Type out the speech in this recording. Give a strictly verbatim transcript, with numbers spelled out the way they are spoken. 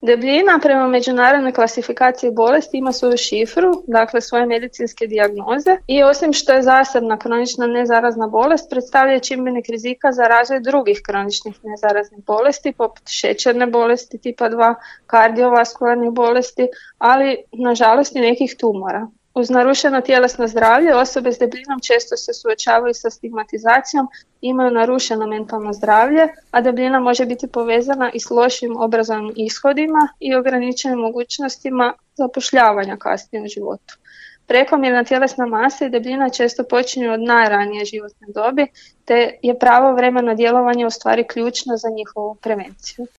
Debljina prema međunarodnoj klasifikaciji bolesti ima svoju šifru, dakle svoje medicinske dijagnoze i osim što je zasebna kronična nezarazna bolest, predstavlja čimbenik rizika za razvoj drugih kroničnih nezaraznih bolesti poput šećerne bolesti tipa dva, kardiovaskularnih bolesti, ali nažalost i nekih tumora. Uz narušeno tjelesno zdravlje osobe s debljinom često se suočavaju sa stigmatizacijom, imaju narušeno mentalno zdravlje, a debljina može biti povezana i s lošim obrazovnim ishodima i ograničenim mogućnostima zapošljavanja kasnije u životu. Prekomjerna tjelesna masa i debljina često počinju od najranije životne dobi, te je pravovremeno djelovanje u stvari ključno za njihovu prevenciju.